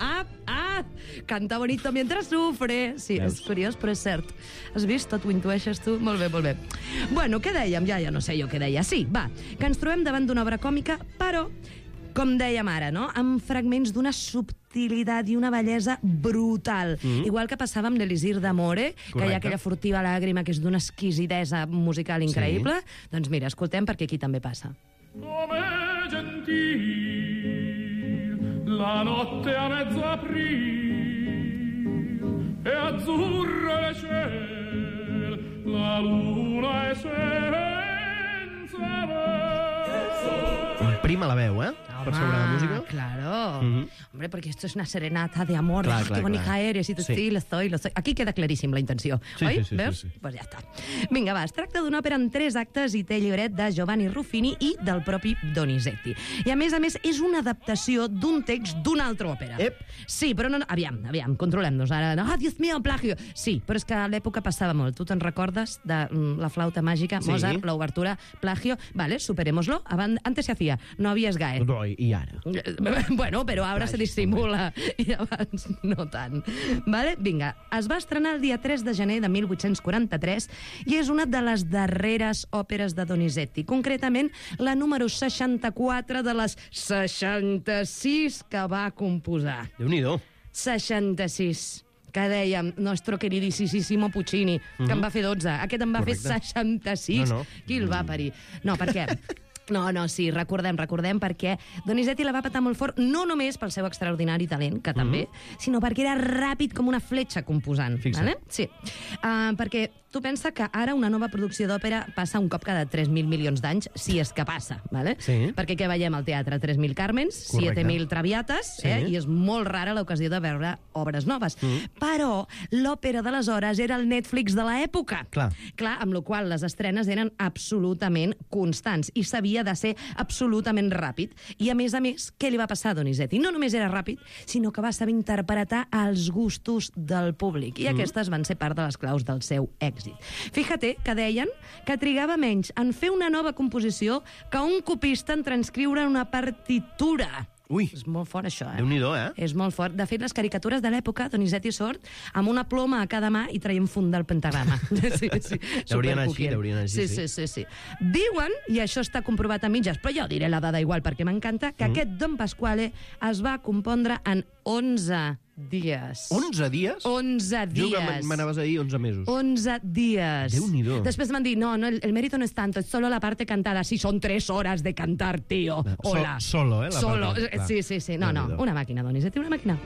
Canta bonito mientras sufre. Sí, és curiós, però és cert. Has vist? Tot ho intueixes tu? Molt bé. Bueno, què dèiem? Ja no sé jo què deia. Sí, va, que ens trobem davant d'una obra còmica, però, com dèiem ara, no? Amb fragments d'una subtilitat i una bellesa brutal. Igual que passava amb l'Elisir d'Amore, que hi ha aquella furtiva làgrima que és d'una exquisidesa musical increïble. Doncs mira, escoltem, perquè aquí també passa. Come gentil la notte a mezzo aprì e azzurro le ciel la luna è senza me. Prima la veu, per sobre la música. Claro. Hombre, porque esto es una serenata de amor. Qué bonita eres, y tú sí, lo soy. Aquí queda claríssim la intenció. Oi? Veus? Pues ja està. Vinga, va, es tracta d'una òpera en 3 actes i té llibret de Giovanni Ruffini i del propi Donizetti. I a més, és una adaptació d'un text d'una altra òpera. Sí, però no... Aviam, controlem-nos. Ara, Dios mío, plagio. Sí, però és que a l'època passava molt. Tu te'n recordes de la flauta màgica, Mozart, l'obertura, plagio? Vale, superémoslo. Antes se hacía, no había SGAE. i ara? Bueno, però ara se dissimula i abans no tant. Vale? Vinga, es va estrenar el dia 3 de gener de 1843 i és una de les darreres òperes de Donizetti, concretament la número 64 de les 66 que va composar. Déu-n'hi-do. 66. Que dèiem, nostre queridíssimo Puccini, que en va fer 12. Aquest en va fer 66. No. Qui el va parir? No, per què? No, sí, recordem, perquè Donizetti la va patar molt fort, no només pel seu extraordinari talent, que també, sinó perquè era ràpid com una fletxa composant. Vale? Sí. Perquè tu pensa que ara una nova producció d'òpera passa un cop cada 3.000 milions d'anys, si és que passa, vale? Sí. Perquè què veiem al teatre? 3.000 Carmens, 7.000 Traviates, i és molt rara l'ocasió de veure obres noves. Però l'òpera d'aleshores era el Netflix de l'època. Clar, amb la qual les estrenes eren absolutament constants i s'havia de ser absolutament ràpid. I, a més, què li va passar a Donizetti? No només era ràpid, sinó que va saber interpretar els gustos del públic. I aquestes van ser part de les claus del seu èxit. Fíjate que deien que trigava menys en fer una nova composició que un copista en transcriure una partitura. Ui. És molt fort, això, Déu-n'hi-do, És molt fort. De fet, les caricatures de l'època, Donizetti sort amb una ploma a cada mà i traient fund del pentagrama. Sí. Deurien així, Sí. Diuen, i això està comprovat a mitges, però jo diré la dada igual perquè m'encanta, que aquest Don Pasquale es va compondre en 11 dies. 11 dies? 11 dies. Jo que m'anaves a dir 11 mesos. 11 dies. Déu-n'hi-do. Después me han dicho, no, el mérito no es tanto, es solo la parte cantada. Sí, son 3 horas de cantar, tío. Hola. Solo, la Solo. parte. Sí. No, una màquina, Donizetti, una màquina.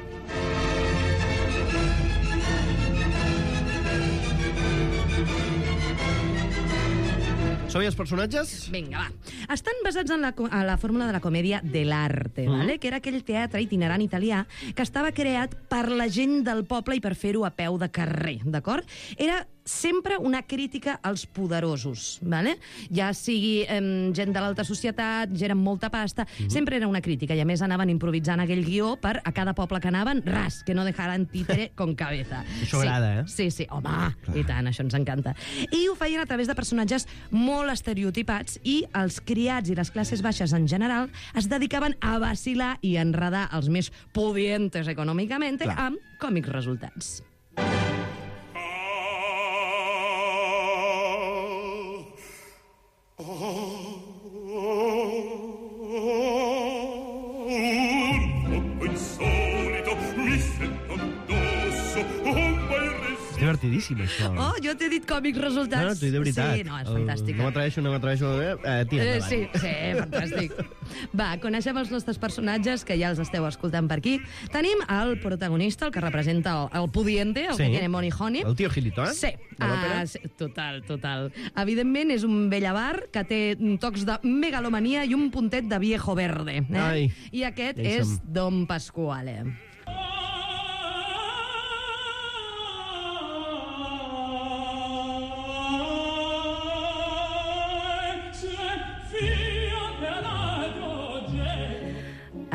Som-hi els personatges? Vinga, va. Estan basats en la fórmula de la comèdia dell'arte, vale? Que era aquell teatre itinerant italià que estava creat per la gent del poble i per fer-ho a peu de carrer, d'acord? Era sempre una crítica als poderosos, vale? Ja sigui gent de l'alta societat, gent amb molta pasta, sempre era una crítica, i a més anaven improvisant aquell guió per a cada poble que anaven, ras, que no dejaran títere con cabeza. Això agrada, Sí, home, i tant, això ens encanta. I ho feien a través de personatges molt estereotipats, i els criats i les classes baixes en general es dedicaven a vacilar i enredar els més pudientes econòmicament amb còmics resultats. Divertidíssim, això. Oh, jo t'he dit còmics resultats. No, t'ho he de veritat. Sí, no, és fantàstic. No m'atreveixo. Tira endavant. Sí, fantàstic. Va, coneixem els nostres personatges, que ja els esteu escoltant per aquí. Tenim el protagonista, el que representa el pudiente, el que tiene money honey. El tio Gilito, eh? Sí. Total. Evidentment, és un vell avar que té tocs de megalomania i un puntet de viejo verde. I aquest és Don Pasquale.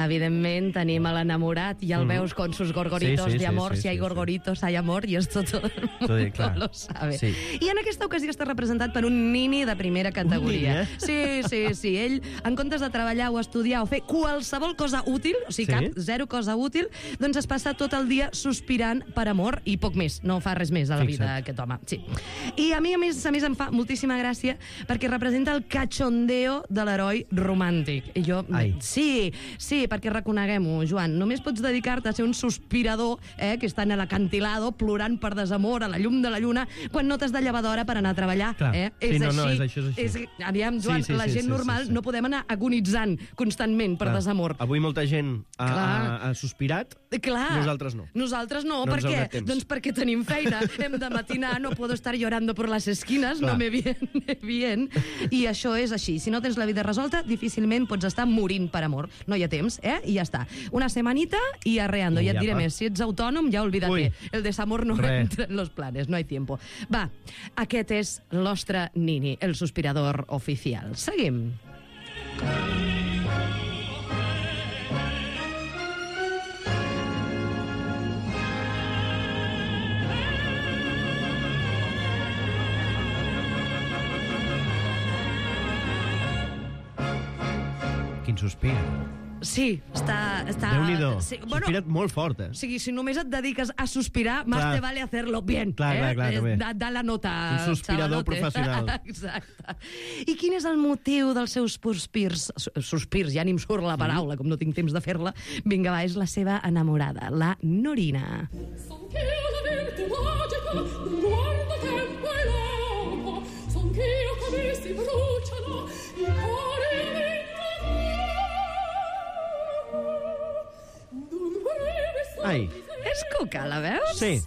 Evidentment, tenim l'enamorat i el veus con sus gorgoritos de amor. Si hay gorgoritos, hay amor, i esto todo el mundo lo sabe. I en aquesta ocasió està representat per un nini de primera categoria. Sí. Ell, en comptes de treballar o estudiar o fer qualsevol cosa útil, o sigui, zero cosa útil, doncs es passa tot el dia sospirant per amor i poc més. No fa res més a la vida, aquest home. Sí. I a mi, a més, em fa moltíssima gràcia perquè representa el cachondeo de l'heroi romàntic. I jo... Sí, perquè reconeguem-ho, Joan, només pots dedicar-te a ser un sospirador que està en l'acantilado plorant per desamor a la llum de la lluna quan no t'has de llevar d'hora per anar a treballar. És així. Aviam, Joan, la gent normal no podem anar agonitzant constantment per desamor. Avui molta gent ha sospirat, nosaltres no. Nosaltres no, per què? Doncs perquè tenim feina, hem de matinar, no puedo estar llorando por las esquinas, no me viene. I això és així. Si no tens la vida resolta, difícilment pots estar morint per amor. No hi ha temps, i ja està. Una semanita y arreando. I et diré més, si ets autònom, ja olvídate. El desamor no entra en los planes, no hay tiempo. Va, aquest és el nostre nini, el sospirador oficial. Seguim. Quin sospir. Sí, està... Déu-n'hi-do. Sí, Sospira't molt fort, O sigui, si només et dediques a sospirar, más te vale hacerlo bien. Clar, bé. Da la nota, un sospirador xavalote. professional. Exacte. I quin és el motiu dels seus sospirs? Sospirs, ja ni em surt la paraula, com no tinc temps de fer-la. Vinga, va, és la seva enamorada, la Norina. Son che la virtù magica non guarda tempo e l'acqua, son che io come si bruciano i cuori d'un breve Ai. És cuca, la veus? Sí.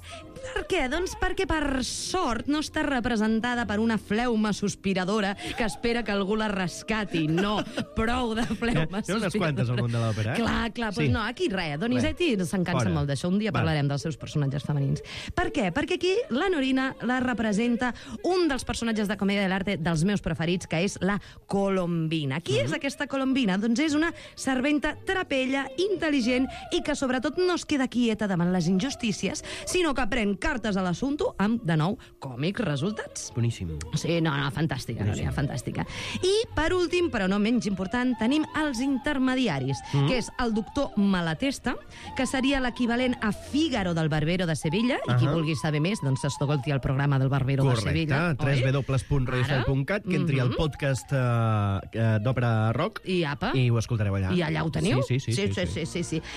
Per què? Doncs perquè, per sort, no està representada per una fleuma sospiradora que espera que algú la rescati. No, prou de fleuma Té unes quantes al món de l'òpera, eh? Clar, doncs no, aquí res. Donizetti s'encansa Fora. molt d'això. Un dia parlarem dels seus personatges femenins. Per què? Perquè aquí la Norina la representa un dels personatges de comèdia de l'arte dels meus preferits, que és la Colombina. Qui és aquesta Colombina? Doncs és una serventa trapella, intel·ligent i que sobretot no es queda quieta davant les injustícies, sinó que pren cartes a l'assumpte amb, de nou, còmics resultats. Boníssim. Sí, no, fantàstica, Núria, fantàstica. I, per últim, però no menys important, tenim els intermediaris, que és el doctor Malatesta, que seria l'equivalent a Fígaro del Barbero de Sevilla, i qui vulgui saber més, doncs escolti el programa del Barbero de Sevilla. Correcte, www.radiostel.cat, que entri al podcast d'Òpera Rock i apa, i ho escoltareu allà. I allà ho teniu? Sí.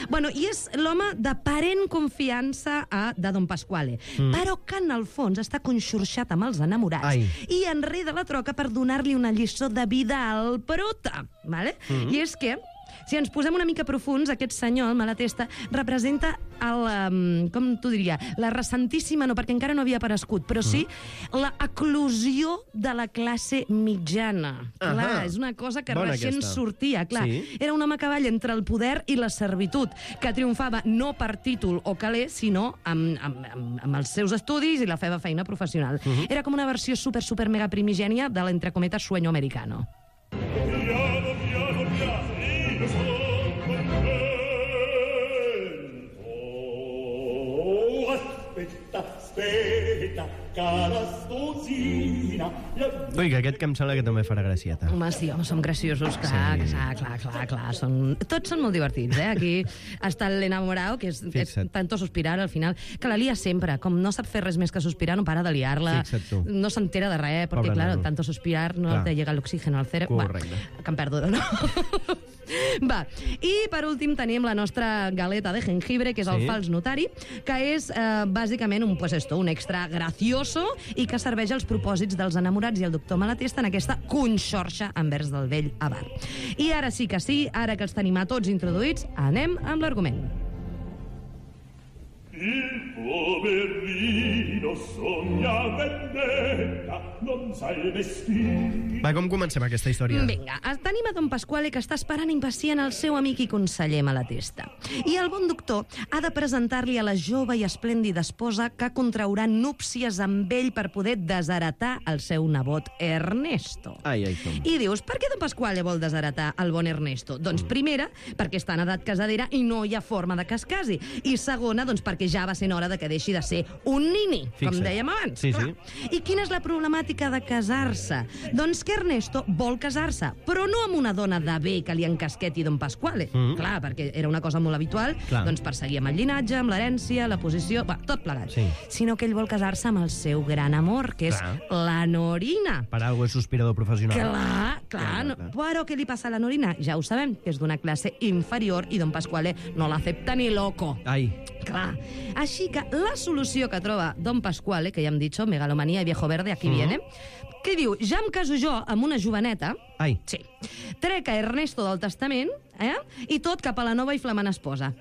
Bueno, i és l'home d'aparent confiança de Don Pasquale, però que en el fons està conxorxat amb els enamorats i enreda la troca per donar-li una lliçó de vida al prota. Vale? I és que, si ens posem una mica profuns, aquest senyor, el Malatesta, representa com t'ho diria, la recentíssima, no, perquè encara no havia aparegut, però sí la eclosió de la classe mitjana. Clar, és una cosa que recent sortia. Clar, era un home a cavall entre el poder i la servitud, que triomfava no per títol o caler, sinó amb els seus estudis i la seva feina professional. Era com una versió super mega primigènia de l'entre cometes sueño americano. Ui, que aquest que em sembla que també farà gracieta. Home, sí, som graciosos, clar. Tots són molt divertits, eh? Aquí està l'enamorado, que és tanto sospirar al final, que la lia sempre. Com no sap fer res més que sospirar, no para de liar-la. No s'entera de res, perquè, clar, tanto sospirar no te llega l'oxígeno al cerebro. Correcte. Que em perdo, no? Va, i per últim tenim la nostra galeta de jengibre, que és el fals notari, que és bàsicament un extra gracioso i que serveix als propòsits dels enamorats i el doctor Malatesta en aquesta conxorxa envers del vell avar. I ara sí que sí, ara que els tenim a tots introduïts, anem amb l'argument. Il poverino sogna vendetta, non sa il vestir. Va, com comencem aquesta història? Vinga, tenim a Don Pasquale, que està esperant impacient el seu amic i conseller Malatesta. I el bon doctor ha de presentar-li a la jove i esplèndida esposa que contraurà núpcies amb ell per poder desheretar el seu nebot Ernesto. I dius, per què Don Pasquale vol desheretar el bon Ernesto? Doncs primera, perquè està en edat casadera i no hi ha forma de que es casi. I segona, doncs perquè ja va sent hora de que deixi de ser un nini, com dèiem abans. I quina és la problemàtica de casar-se? Doncs que Ernesto vol casar-se, però no amb una dona de bé que li encasqueti Don Pasquale. Clar, perquè era una cosa molt habitual, doncs per seguir amb el llinatge, amb l'herència, la posició, tot plegat. Sinó que ell vol casar-se amb el seu gran amor, que és la Norina. Per algo és sospirador professional. Clar. Però què li passa a la Norina? Ja ho sabem, que és d'una classe inferior i Don Pasquale no l'accepta ni loco. Clar. Així que la solució que troba Don Pasquale, que ja hem dit, megalomanía i viejo verde, aquí viene, que diu, ja em caso jo amb una joveneta, trec a Ernesto del testament, i tot cap a la nova i flamant esposa.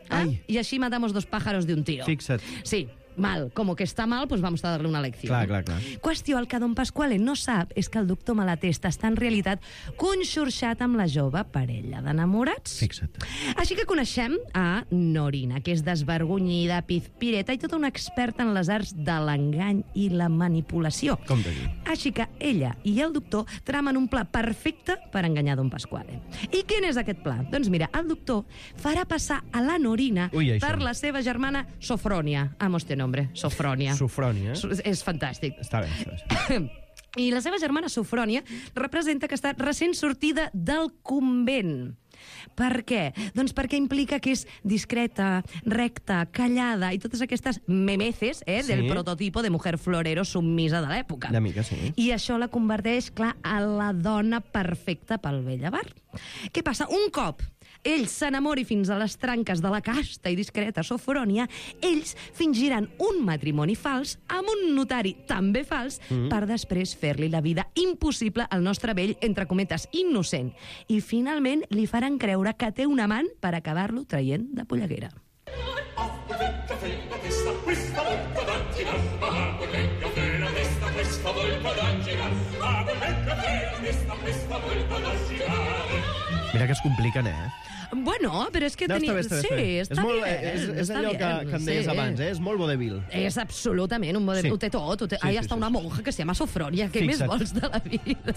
I així matamos 2 pájaros de un tiro. Fixa't. Sí. Mal, como que está mal, pues vamos a darle una lecció. Clar. Qüestió, el que Don Pasquale no sap és que el doctor Malatesta està en realitat conxorxat amb la jove parella d'enamorats. Fixa't. Així que coneixem a Norina, que és desvergonyida, pizpireta i tota una experta en les arts de l'engany i la manipulació. Com de dir. Així que ella i el doctor tramen un pla perfecte per enganyar Don Pasquale. I quin és aquest pla? Doncs mira, el doctor farà passar a la Norina per la seva germana Sofronia. Amo este nombre, Sofronia. Sofronia. És fantàstic. Està bé. I la seva germana Sofronia representa que està recent sortida del convent. Per què? Doncs perquè implica que és discreta, recta, callada i totes aquestes memeces del prototipo de mujer florero submisa de l'època. Una mica, sí. I això la converteix, clar, a la dona perfecta pel vell avar. Què passa? Un cop ell s'enamori fins a les tranques de la casta i discreta Sofrònia, ells fingiran un matrimoni fals amb un notari també fals per després fer-li la vida impossible al nostre vell, entre cometes, innocent. I finalment li faran creure que té un amant per acabar-lo traient de polleguera. Mira que es compliquen, Bueno, però és que tenia... Està bé. És allò que em deies abans, és molt vodevil. És absolutament un vodevil. Ho té tot. Ahí està una monja que se llama Sofrònia. Què més vols de la vida?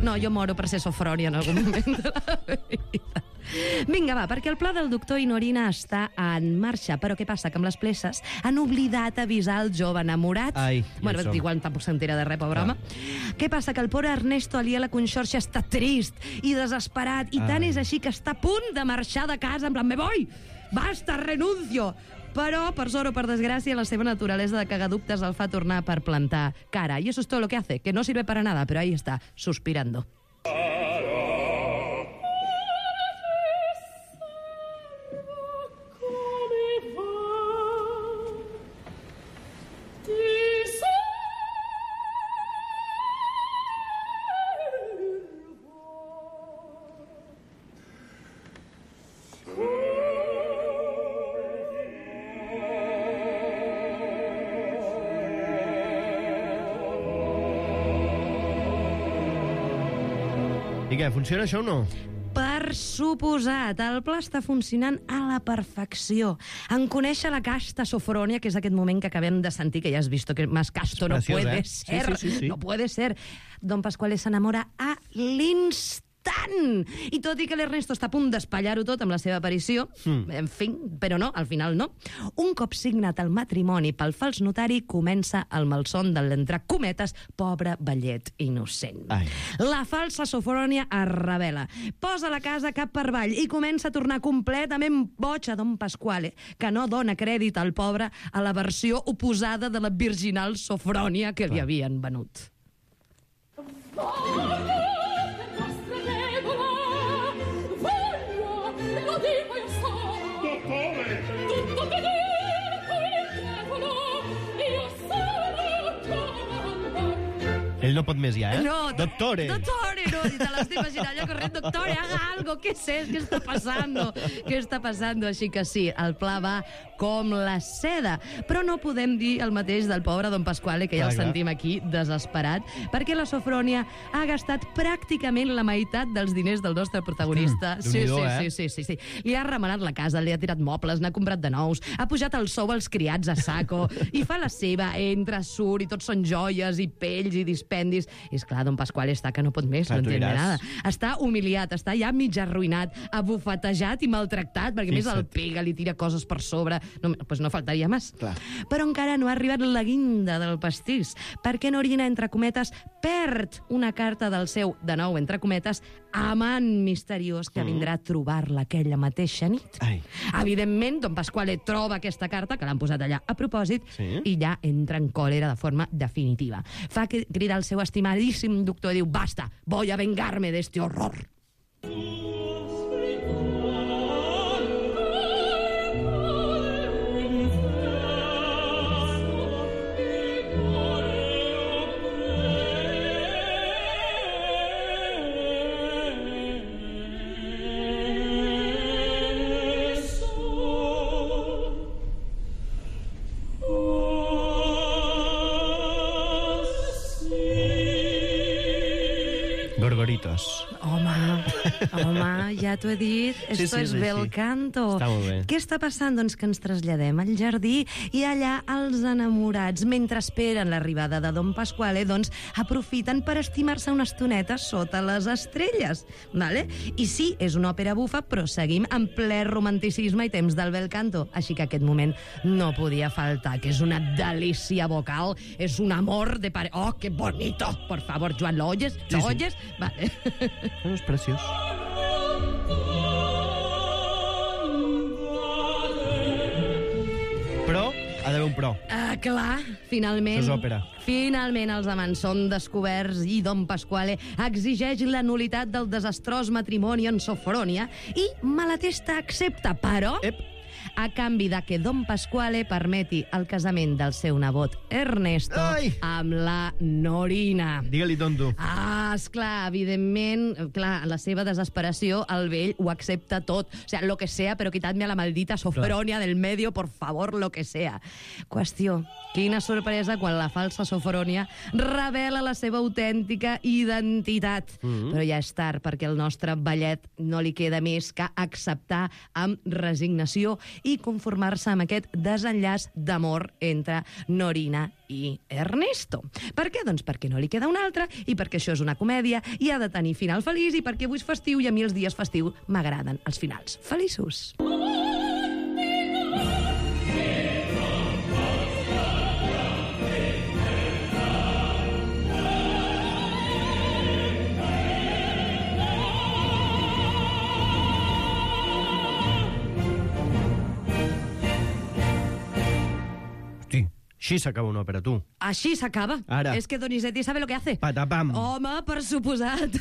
No, jo moro per ser Sofrònia en algun moment de la vida. Vinga, va, perquè el pla del doctor Inorina està en marxa, però què passa? Que amb les pleses han oblidat avisar el jove enamorat. Bueno, igual tampoc s'entera de res, pobre home. Què passa? Que el pobre Ernesto Alié la Conxorxa està trist i desesperat, i tant és així que està a punt de marxar de casa, en plan, me voy, basta, renuncio. Però, per sort o per desgràcia, la seva naturalesa de cagaductes el fa tornar per plantar cara. I eso es todo lo que hace, que no sirve para nada, pero ahí está, suspirando. I què, funciona això o no? Per suposat, el pla està funcionant a la perfecció. En conèixer la casta Sofrònia, que és aquest moment que acabem de sentir, que ja has vist que más casto no puede ser. No puede ser. Don Pasquale s'enamora a l'instant. I tot i que l'Ernesto està a punt d'espatllar-ho tot amb la seva aparició, en fi, però no, al final no. Un cop signat el matrimoni pel fals notari, comença el malson de l'entre cometes, pobre vellet innocent. La falsa Sofrònia es revela, posa la casa cap per avall i comença a tornar completament boig a Don Pasquale, que no dona crèdit al pobre a la versió oposada de la virginal Sofrònia que li havien venut. Ell no pot més ja, No, Doctore! Doctore, no, y te la estoy imaginando yo corriendo. Doctore, haga algo, ¿qué es? ¿Qué está pasando? ¿Qué está pasando? Així que sí, el pla va com la seda. Però no podem dir el mateix del pobre Don Pasquale, que ja el sentim aquí desesperat, perquè la Sofrònia ha gastat pràcticament la meitat dels diners del nostre protagonista. Sí. Li ha remenat la casa, li ha tirat mobles, n'ha comprat de nous, ha pujat el sou als criats a saco, i fa la seva, entra, surt, i tot són joies i pells i dispendis. I esclar, Don Pasquale està que no pot més, no entén nada. Està humiliat, està ja mig arruïnat, abufetejat i maltractat, perquè més el pega, li tira coses per sobre. No faltaria més. Però encara no ha arribat la guinda del pastís, perquè Norina, entre cometes, perd una carta del seu, de nou, entre cometes, amant misteriós que vindrà a trobar-la aquella mateixa nit. Evidentment, Don Pasquale troba aquesta carta, que l'han posat allà a propòsit, i ja entra en còlera de forma definitiva. Fa cridar el seu estimadíssim doctor i diu: basta, voy a vengarme de este horror. Gorgoritos. Home, ja t'ho he dit. Esto es bel canto. Està molt bé. Què està passant? Doncs que ens traslladem al jardí i allà els enamorats, mentre esperen l'arribada de Don Pasquale, doncs aprofiten per estimar-se una estoneta sota les estrelles. Vale? I sí, és una òpera bufa, però seguim en ple romanticisme i temps del bel canto. Així que aquest moment no podia faltar, que és una delícia vocal, és un amor de pare... Oh, qué bonito! Por favor, Joan, ¿lo oyes? ¿Lo oyes? Vale. És preciós. un pro. Clar, finalment... Això és òpera. Finalment els amants són descoberts i Don Pasquale exigeix la nulitat del desastrós matrimoni en Sofronia i Malatesta accepta, però... a canvi de que Don Pasquale permeti el casament del seu nebot Ernesto amb la Norina. Digue-li tonto. Esclar, evidentment, clar, la seva desesperació, el vell ho accepta tot. O sea, lo que sea, pero quitadme a la maldita Sofronia del medio, por favor, lo que sea. Qüestió, quina sorpresa quan la falsa Sofronia revela la seva autèntica identitat. Però ja és tard, perquè al nostre ballet no li queda més que acceptar amb resignació i conformar-se amb aquest desenllaç d'amor entre Norina i Ernesto. Per què? Doncs perquè no li queda una altra i perquè això és una comèdia i ha de tenir final feliç i perquè avui és festiu i a mi els dies festius m'agraden els finals feliços. Així s'acaba una òpera, tu. Així s'acaba. Ara. És que Donizetti sabe lo que hace. Patapam. Home, per suposat.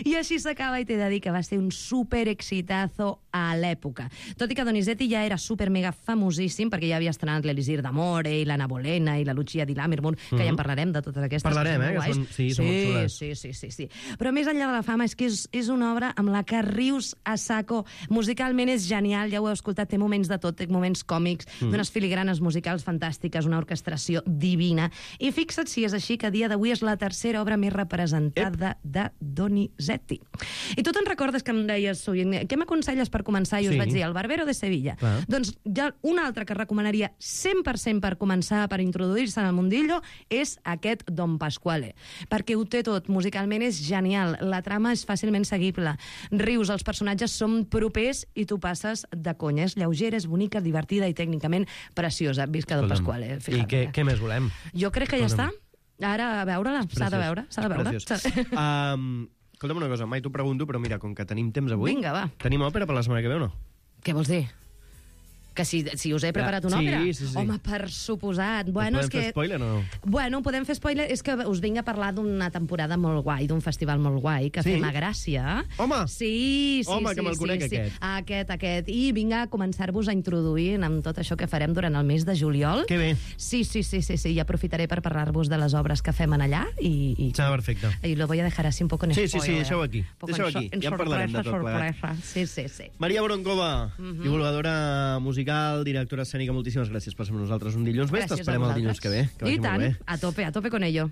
I així s'acaba i t'he de dir que va ser un super exitazo a l'època. Tot i que Donizetti ja era super mega famosíssim, perquè ja havia estrenat l'Elisir d'Amore i l'Anna Bolena i la Lucia di Lammermoor, que ja en parlarem de totes aquestes. Parlarem, que són, són molt xules. Sí. Però més enllà de la fama és que és una obra amb la que rius a saco. Musicalment és genial, ja ho heu escoltat, té moments de tot, té moments còmics, d'unes filigranes musicals fantàstiques, una orquestració divina. I fixa't si és així que a dia d'avui és la tercera obra més representada de Donizetti. I tu te'n recordes que em deies sovint, què m'aconselles per començar? I us vaig dir, El Barbero de Sevilla. Doncs ja una altra que recomanaria 100% per començar, per introduir-se en el mundillo, és aquest Don Pasquale. Perquè ho té tot, musicalment és genial, la trama és fàcilment seguible, rius, els personatges són propers i tu passes de conya. És lleugera, és bonica, divertida i tècnicament preciosa. Visca Don Pasquale. I què més volem? Jo crec que ja està. Ara, a veure-la, s'ha de veure. Escolta'm una cosa, mai t'ho pregunto, però mira, com que tenim temps avui... Vinga, va. Tenim òpera per la setmana que ve o no? Què vols dir? Que si us he preparat una òpera? Sí. Home, per suposat. Podem fer spoiler o no? Bueno, podem fer spoiler. És que us vinc a parlar d'una temporada molt guai, d'un festival molt guai, que fem a Gràcia. Home! Sí. Home, que me'l conec, aquest. I vinc a començar-vos a introduir amb tot això que farem durant el mes de juliol. Que bé. Sí. I aprofitaré per parlar-vos de les obres que fem en allà. Està perfecte. I lo voy a dejar así un poco en spoiler. Sí, deixeu aquí. Ja en parlarem de tot plegat. Sí. Maria Broncova, divulgadora musical, directora escènica, moltíssimes gràcies per ser amb nosaltres un dilluns més. T'esperem el dilluns que ve. I tant, a tope con ello.